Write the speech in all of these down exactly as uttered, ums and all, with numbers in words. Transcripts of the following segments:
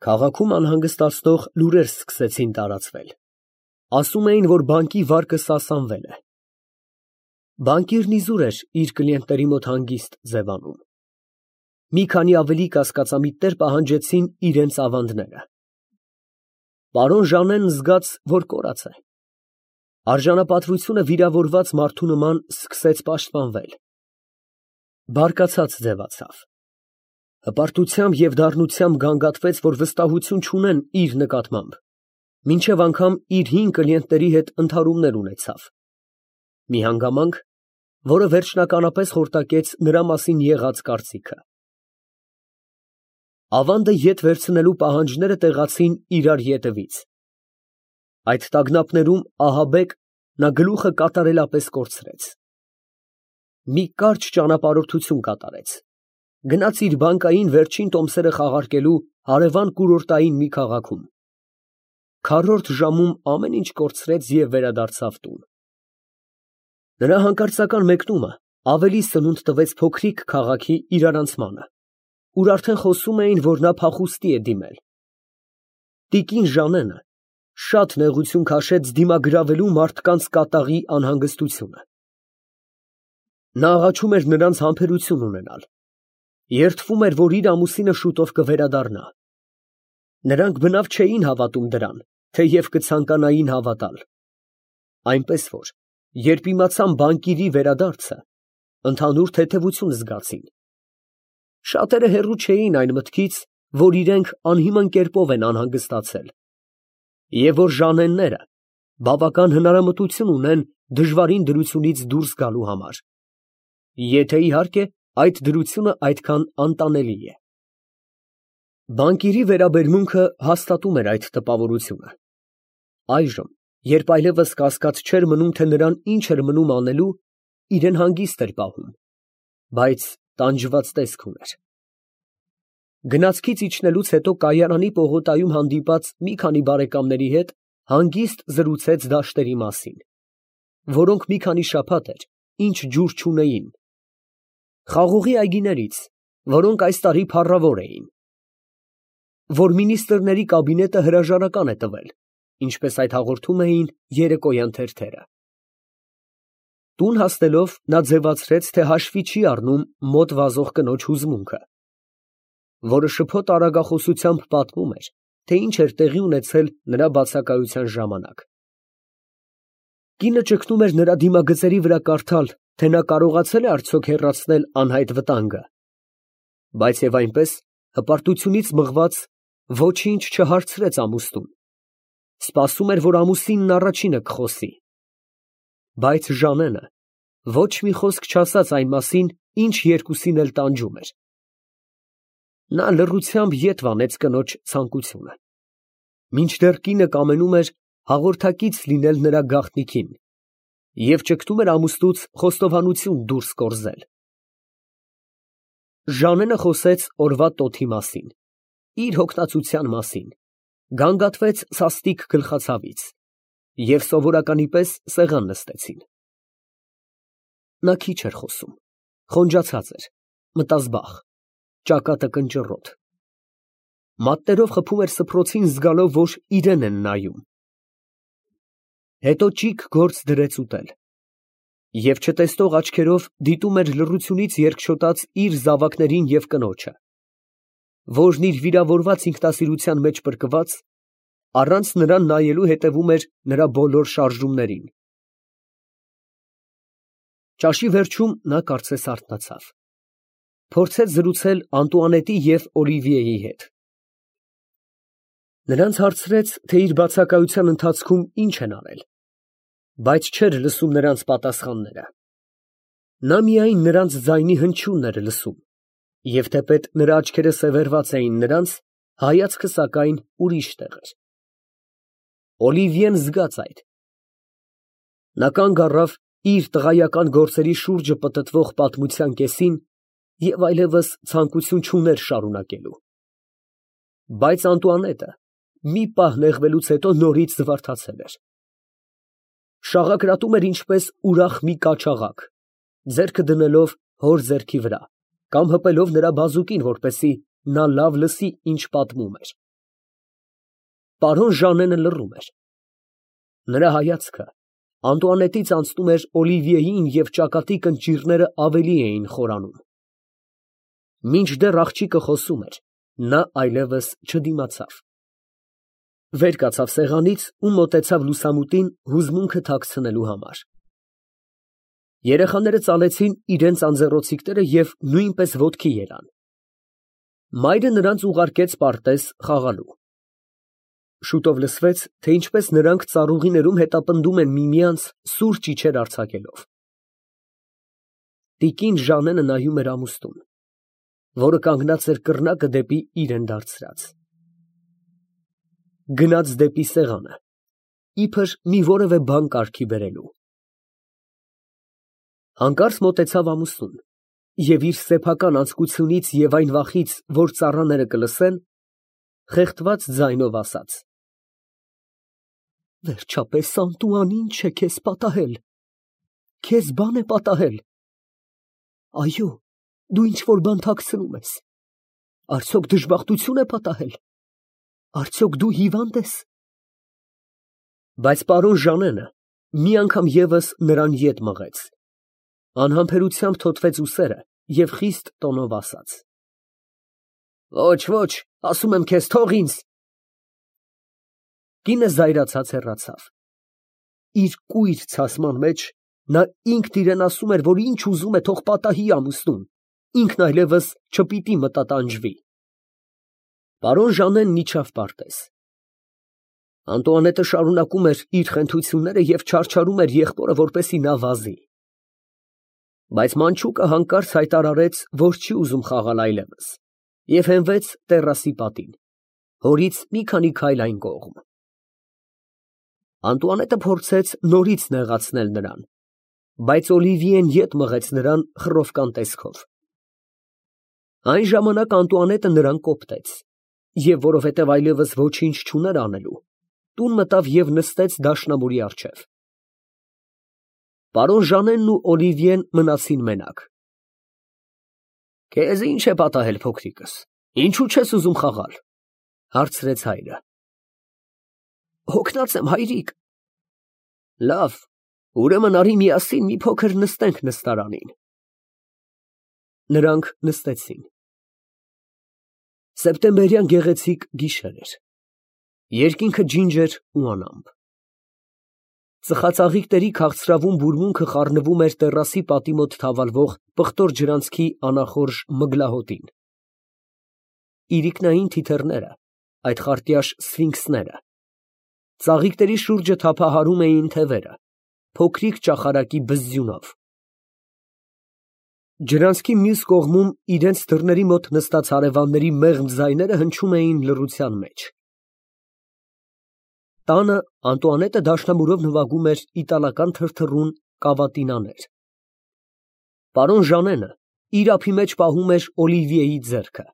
Քաղաքում անհանգստացնող լուրեր սկսեցին տարածվել. ասում էին, որ բանկի վարկը սասանվել է։ Բանկիրն իզուր էր իր կլիենտների մոտ հանգիստ ձևանում։ Մի քանի ավելի կասկածամիտներ պահանջեցին իրենց ավանդները։ Պարոն Ժանենն զգաց, որ կորած է։ Արժանապատվությունը վիրավորված մարդու նման սկսեց պաշտպանվել։ Բարկացած ձևացավ։ Հպարտությամբ և դառնությամբ գանգատվեց, որ վստահություն չունեն իր նկատմամբ, մինչև անգամ իր հին կլիենտների հետ ընդհարումներ ունեցավ։ Մի հանգամանք, որը վերջնականապես խորտակեց նրա մասին եղած կարծիքը։ Ավանդը ետ վերցնելու պահանջները տեղացին իրար ետևից։ Այդ տագնապներում ահաբեկ նա գլուխը կատարելապես կորցրեց։ Մի կարճ ճանապարհորդություն կատարեց։ Գնաց իր բանկային վերջին տոմսերը խաղարկելու հարևան կուրորտային մի քաղաքում։ Քառորդ ժամում ամեն ինչ կորցրեց և վերադարձավ տուն։ Նրա հանկարծական մեկնումը ավելի սնունդ տվեց փոքրիկ քաղաքի իրարանցմանը, ուր արդեն խոսում էին, որ նա փախուստի է դիմել։ Տիկին Ժանենը շատ նեղություն քաշեց դիմագրավելու մարդկանց կատաղի անհանգստությունը։ Նա աղաչում էր նրանց համբերություն ունենալ, երդվում էր, որ իր ամուսինը շուտով կվերադառնա։ Նրանք բնավ չէին հավատում դրան, թեև կցանկանային հավատալ։ Այնպես որ, երբ իմացան բանկիրի վերադարձը, ընդհանուր թեթևություն զգացին։ Շատերը հեռու չէին այն մտքից, որ իրենք անհիմն կերպով են անհանգստացել, և որ Ժանենները բավական հնարամտություն ունեն դժվարին դրությունից դուրս գալու համար, եթե իհարկե այդ դրությունը այդքան անտանելի է։ Բանկիրի վերաբերմունքը հաստատում էր այդ տպավորությունը։ Այժմ, երբ այլևս կասկած չէր մնում, թե նրան ինչ էր մնում անելու, իրեն հանգիստ էր պահում, բայց տանջված տեսք ուներ։ Գնացքից իջնելուց հետո կայարանի պողոտայում հանդիպած մի քանի բարեկամների հետ հանգիստ զրուցեց դաշտերի մասին, որոնք մի քանի շաբաթ էր ինչ ջուր չունեին, խաղողի այգիներից, որոնք այս տարի փառավոր էին, որ մինիստրների կաբինետը հրաժարական է տվել, ինչպես այդ հաղորդում էին երեկոյան թերթերը։ Տուն հասնելով նա ձևացրեց, թե հաշվի չի առնում մոտ վազող կնոջ հուզմունքը, որը շփոթ արագախոսությամբ պատմում էր, թե ինչ էր տեղի ունեցել նրա բացակայության ժամանակ։ Կինը ճգնում էր նրա դիմագծերի վրա կարդալ, թե նա կարողացել է արդյոք հեռացնել անհայտ վտանգը, բայց և այնպես, հպարտությունից մղված, ոչինչ չհարցրեց ամուսնուն, սպասում էր, որ ամուսինն առաջինը կխոսի, բայց Ժանենը ոչ մի խոսք չասաց այն մասին, ինչ երկուսին էլ տանջում էր։ Նա լռությամբ ետ վանեց կնոջ ցանկությունը, մինչդեռ կինը կամենում էր հաղորդակից լինել նրա գաղտնիքին և ճգտում էր ամուսնուց խոստովանություն դուրս կորզել։ Ժանենը խոսեց օրվա տոթի մասին, իր հոգնածության մասին, գանգատվեց սաստիկ գլխացավից, և սովորականի պես սեղան նստեցին։ Նա քիչ էր խոսում, խոնջացած էր, մտազբաղ, ճակատը կնճռոտ։ Մատներով խփում էր սփռոցին, զգալով, որ իրան են նայում։ Հետո ճիգ գործ դրեց ուտել, և չտեսնող աչքերով դիտում էր լռությունից երկչոտած իր զավակներին և կնոջը, որն իր վիրավորված ինքնասիրության մեջ պրկված, առանց նրան նայելու հետևում էր նրա բոլոր շարժումներին։ Ճաշի վերջում նա կարծես արթնացավ, փորձեց զրուցել Անտուանետի և Օլիվիեի հետ։ Նրանց հարցրեց, թե իր բացակայության ընթացքում ինչ են արել, բայց չէր լսում նրանց պատասխանները։ Նա միայն նրանց ձայնի հնչյունն էր լսում, և թեպետ նրա աչքերը սևեռված էին նրանց, հայացքը սակայն ուրիշ տեղ էր։ Օլիվիեն զգաց այդ։ Նա կանգ առավ իր տղայական գործերի շուրջը պտտվող պատմության կեսին և այլևս ցանկություն չուներ շարունակելու։ Բայց Անտուանետը մի պահ նեղվելուց հետո նորից զվարթացել էր։ Շաղակրատում էր ինչպես ուրախ մի կաչաղակ, ձեռքը դնելով հոր ձեռքի վրա կամ հպելով նրա բազուկին, որպեսզի նա լավ լսի, ինչ պատմում էր։ Պարոն Ժանենը լռում էր։ Նրա հայացքը Անտուանետից անցնում էր Օլիվիեին և ճակատի կնճիռները ավելի էին խորանում։ Մինչդեռ աղջիկը խոսում էր, նա այլևս չդիմացավ։ Վեր կացավ սեղանից ու մոտեցավ լուսամուտին հուզմունքը թաքցնելու համար։ Երեխաները ծալեցին իրենց անձեռոցիկները և նույնպես ոտքի ելան։ Մայրը նրանց ուղարկեց պարտեզ խաղալու։ Շուտով լսվեց, թե ինչպես նրանք ծառուղիներում հետապնդում են միմյանց սուր ճիչեր արձակելով։ Տիկին Ժանենը նայում էր ամուսնուն, որը կանգնած էր կռնակը դեպի իրեն դարձրած։ Գնաց դեպի սեղանը, իբր մի որևէ բան կարգի բերելու։ Հանկարծ մոտեցավ ամուսնուն և իր սեփական անձկությունից և այն վախից, որ ծառաները կլսեն, խեղդված ձայնով ասաց. Վերջապես, Անտուան, ի՞նչ է քեզ պատահել, քեզ բան է պատահել։ Այո, դու ինչ֊որ բան թաքցնում ես, արդյոք դժբախտություն է պատահել, արդյոք դու հիվա՞նդ ես։ Բայց պարոն Ժանենը մի անգամ ևս նրան ետ մղեց, անհամբերությամբ թոթվեց ուսերը և խիստ տոնով ասաց. Ոչ, ոչ, ասում եմ քեզ, թող ինձ։ Կինը զայրացած հեռացավ։ Իր կույր ցասման մեջ նա ինքն իրան ասում էր, որ ինչ ուզում է թող պատահի ամուսնուն, ինքն այլևս չպիտի մտատանջվի։ Պարոն Ժանենն իջավ պարտեզ։ Անտուանետը շարունակում էր իր խենթությունները և չարչարում էր եղբորը, որպեսզի նա վազի։ Բայց մանչուկը հանկարծ հայտարարեց, որ չի ուզում խաղալ այլևս, և հենվեց տեռասի պատին, հորից մի քանի քայլ այն կողմ։ Անտուանետը փորձեց նորից նեղացնել նրան, բայց Օլիվիեն ետ մղեց նրան խռովկան տեսքով։ Այն ժամանակ Անտուանետը նրան կոպտեց, և որովհետև այլևս ոչինչ չուներ անելու, տուն մտավ և նստեց դաշնամուրի առջև։ Պարոն Ժանենն ու Օլիվիեն մնացին մենակ։ Քեզ ի՞նչ է պատահել, փոքրիկս, ինչու չես ուզում խաղալ, հարցրեց հայրը։ Հոգնած եմ, հայրիկ։ Լավ, ուրեմն արի միասին մի փոքր նստենք նստարանին։ Նրանք նստեցին։ Սեպտեմբերյան գեղեցիկ գիշեր էր։ Երկինքը ջինջ էր ու անամպ։ Ծխածաղիկների քաղցրավուն բուրմունքը խառնվում էր տեռասի պատի մոտ թավալվող պղտոր ջրանցքի անախորժ մգլահոտին։ Իրիկնային թիթեռները, այդ խարտյաշ սֆինքսները, ծաղիկների շուրջը թափահարում էին թևերը, փոքրիկ ճախարակի բզզյունով։ Ջրանցքի մյուս կողմում իրենց դռների մոտ նստած հարևանների մեղմ ձայները հնչում էին լռության մեջ։ Տանը Անտուանետը դաշնամուրով նվագում էր իտալական թրթռուն կավատինաներ։ Պարոն Ժանենը իր ափի մեջ պահում էր Օլիվիեի ձեռքը։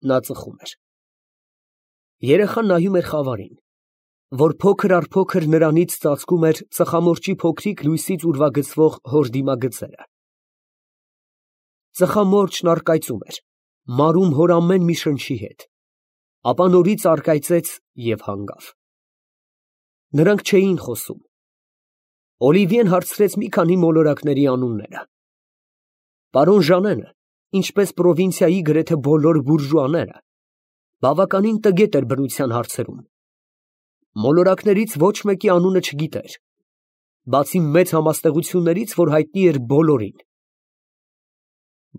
Նա ծխում էր։ Երեխան նայում էր խավարին, որ փոքր առ փոքր նրանից ծածկում էր ծխամորճի փոքրիկ լույսից ուրվագծվող հոր դիմագծերը։ Ծխամորճն առկայծում էր, մարում հոր ամեն մի շնչի հետ, ապա նորից առկայծեց և հանգավ։ Նրանք չէին խոսում։ Օլիվիեն հարցրեց մի քանի մոլորակների անունները։ Պարոն Ժանենը, ինչպես պրովինցիայի գրեթե բոլոր բուրժուաները, բավականին տգետ էր բնության հարցերում։ Մոլորակներից ոչ մեկի անունը չգիտեր, բացի մեծ համաստեղություններից, որ հայտնի էր բոլորին։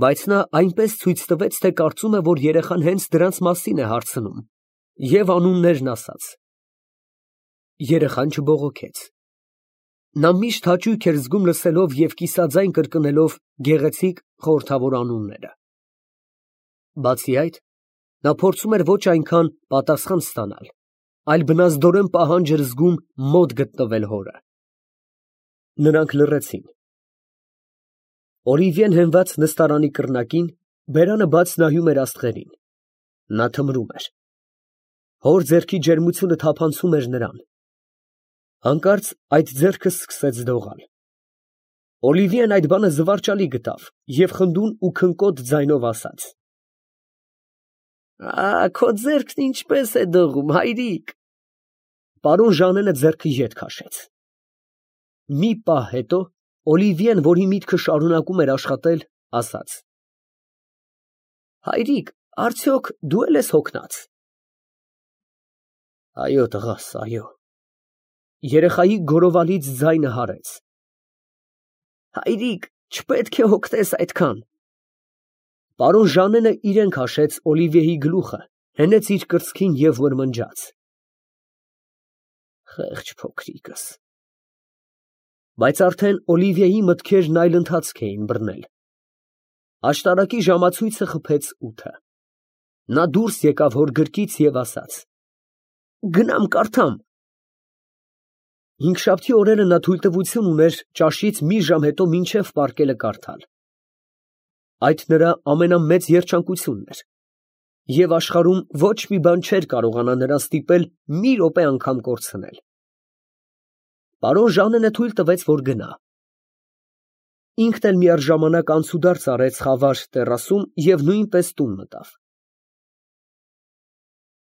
Բայց նա այնպես ցույց տվեց, թե կարծում է, որ երեխան հենց դրանց մասին է հարցնում, և անուններն ասաց։ Երեխան չբողոքեց։ Նա միշտ հաճույք էր զգում լսելով և կիսաձայն կրկնելով գեղեցիկ խորհրդավոր անունները։ Բացի այդ, նա փորձում էր ոչ այնքան պատասխան ստանալ, այլ բնազդորեն պահանջ էր զգում մոտ գտնվել հորը։ Նրանք լռեցին։ Օլիվիեն հենված նստարանի կռնակին, բերանը բաց նայում էր աստղերին։ Նա թմրում էր։ Հոր ձեռքի ջերմությունը թափանցում էր նրան։ Հանկարծ այդ ձեռքը սկսեց դողալ։ Օլիվիեն այդ բանը զվարճալի գտավ և խնդուն ու քնկոտ ձայնով ասաց. Ա, քո ձեռքն ինչպես է դողում, հայրիկ։ Պարոն Ժանենը ձեռքը ետ քաշեց։ Մի պահ հետո Օլիվիեն, որի միտքը շարունակում էր աշխատել, ասաց. «Հայրիկ, արդյոք դու էլ ես հոգնած»։ «Այո, տղաս, այո»։ Երեխայի գորովալից ձայնը հարեց։ «Հայրիկ, չպետք է հոգնես այդքան»։ Պարոն Ժանենը իրեն քաշեց Օլիվիեի գլուխը, հենեց իր կրծքին և մրմնջաց. «Խեղճ փոքրիկս»։ Բայց արդեն Օլիվիեի մտքերն այլ ընթացք էին բռնել։ Աշտարակի ժամացույցը խփեց ութը։ Նա դուրս եկավ հոր գրկից և ասաց. «Գնամ կարդամ»։ Հինգշաբթի օրերը նա թույլտվություն ուներ ճաշից մի ժամ հետո մինչև պառկելը կարդալ։ Այդ նրա ամենամեծ երջանկությունն էր, և աշխարհում ոչ մի բան չէր կարողանա նրան ստիպել մի րոպե անգամ կորցնել։ Պարոն Ժանենը թույլ տվեց, որ գնա։ Ինքն էլ միաժամանակ անցուդարձ արեց խավար տեռասում և նույնպես տուն մտավ։